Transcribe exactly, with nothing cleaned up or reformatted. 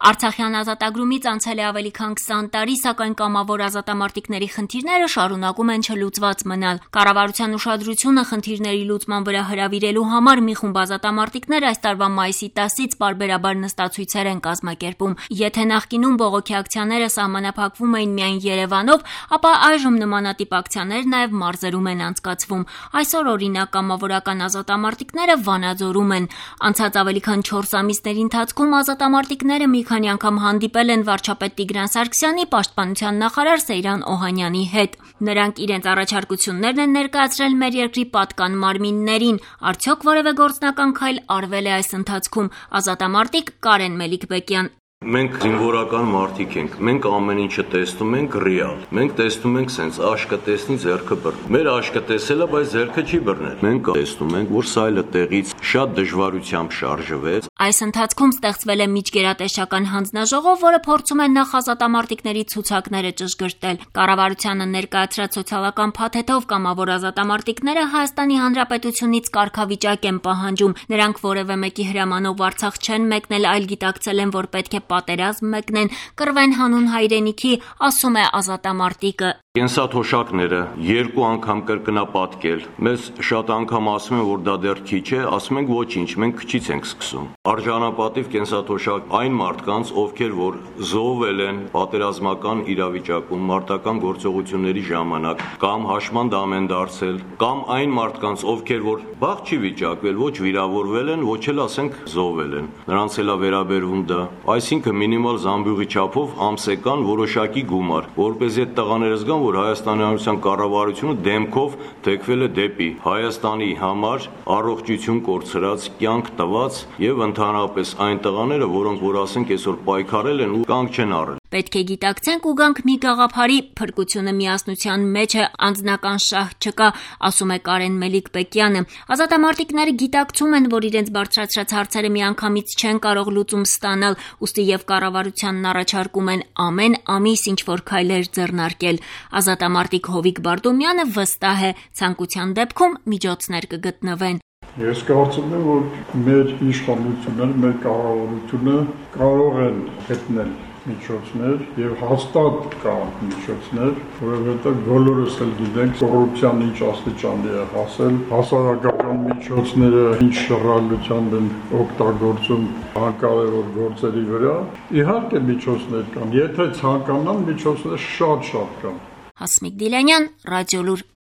Արցախյան ազատագրումից անցել է ավելի քան քսան տարի, սակայն կամավոր ազատամարտիկների խնդիրները շարունակում են չլուծված մնալ։ Կառավարության ուշադրությունը խնդիրների լուծման վրա հրավիրելու համար մի խումբ ազատամարտիկներ այս տարվա մայիսի տասից պարբերաբար նստացույցեր են կազմակերպում։ Եթե նախկինում բողոքի ակցիաները սահմանափակվում էին միայն Երևանով, ապա այժմ նմանատիպ ակցիաներ նաև մարզերում են անցկացվում։ Այսօր օրինակ կամավորական ազատամարտիկները Վանաձորում են։ Անցած ավելի քան չորս ամիսների ընթացքում ազատամարտիկները մի քանի անգամ հանդիպել են վարչապետ Տիգրան Սարգսյանի, պաշտպանության նախարար Սեյրան Օհանյանի հետ։ Նրանք իրենց առաջարկություններն են ներկայացրել մեր երկրի պատկան մարմիններին։ Արդյոք որևէ գործնական քայլ արվել է այս ընթացքում։ Ազատամարտիկ Կարեն Մելիքբեկյան. Մենք զինվորական մարդիկ ենք, մենք ամեն ինչը տեսնում ենք ռեալ, մենք տեսնում ենք սենց աշկը տեսնի ձեռքը բռնել, մեր աշկը տեսելը, բայց ձեռքը չի բռնել, մենք տեսնում ենք, որ սայլը տեղից շատ դժվարությամբ շարժվեց։ Այս ընթացքում ստեղծվել է միջգերատեսչական հանձնաժողով, որը փորձում է նախ ազատամարտիկների ցուցակները ճշգրտել։ Կառավարությանը ներկայացրած սոցիալական փաթեթով կամավոր ազատամարտիկները Հայաստանի Հանրապետությունից կարգավիճակ են պահանջում։ Նրանք որևէ մեկի հրամանով Արցախ չեն մեկնել, այլ գիտակցել են, որ պետք է պատերազմ մեկնեն, կռվեն հանուն հայրենիքի, ասում է ազատամարտիկը։ Կենսաթոշակները երկու անգամ կրկնապատկել։ Մեզ շատ անգամ ասում են, որ դա դեռ քիչ է, ասում ենք ոչինչ, մենք քչից ենք սկսում։ Արժանապատիվ կենսաթոշակ այն մարդկանց, ովքեր որ զոհվել են պատերազմական իրավիճակում, մարտական գործողությունների ժամանակ, կամ հաշմանդամ են դարձել, կամ այն մարդկանց, ովքեր որ բախ չի վիճակվել, ոչ վիրավորվել են, ոչ էլ ասենք զոհվել են։ Նրանց էլ է վերաբերվում դա։ Այսինքն մինիմալ զամբյուղի չափով ամսեկան որոշակի գումար, որպեսզի այդ տղաները զգան, որ Հայաստանի Հանրապետության կառավարությունը դեմքով թեքվել է դեպի Հայաստանի համար առողջություն կորցրած, կյանք տված եւ ընդհանրապես այն տղաները, որոնք որ ասենք այսօր պայքարել են ու կանգ չեն առել։ Պետք է գիտակցենք ու գանք մի գաղափարի, փրկությունը միասնության մեջ է, անձնական շահ չկա, ասում է Կարեն Մելիքբեկյանը։ Ազատամարտիկները գիտակցում են, որ իրենց բարձրացրած հարցերը միանգամից չեն կարող լուծում ստանալ, ուստի եւ կառավարությանն առաջարկում են ամեն ամիս ինչ-որ քայլեր ձեռնարկել։ Ազատամարտիկ Հովիկ Բարդոմյանը վստահ է, ցանկության դեպքում միջոցներ կգտնվեն։ Ես կարծում եմ, որ մեր իշխանությունները, մեր կառավարությունը կարող են գտնել միջոցներ եւ հաստատ կան միջոցներ, որովհետեւ բոլորս էլ գիտենք կոռուպցիան ինչ աստիճանի է հասել, հասարակական միջոցները ինչ շռայլությամբ են օգտագործում հակավերոր գործերի վրա։ Իհարկե միջոցներ կան, եթե ցանկանան միջոցներ շատ-շատ կան։ Հասմիկ Դիլանյան, Ռադիոլուր։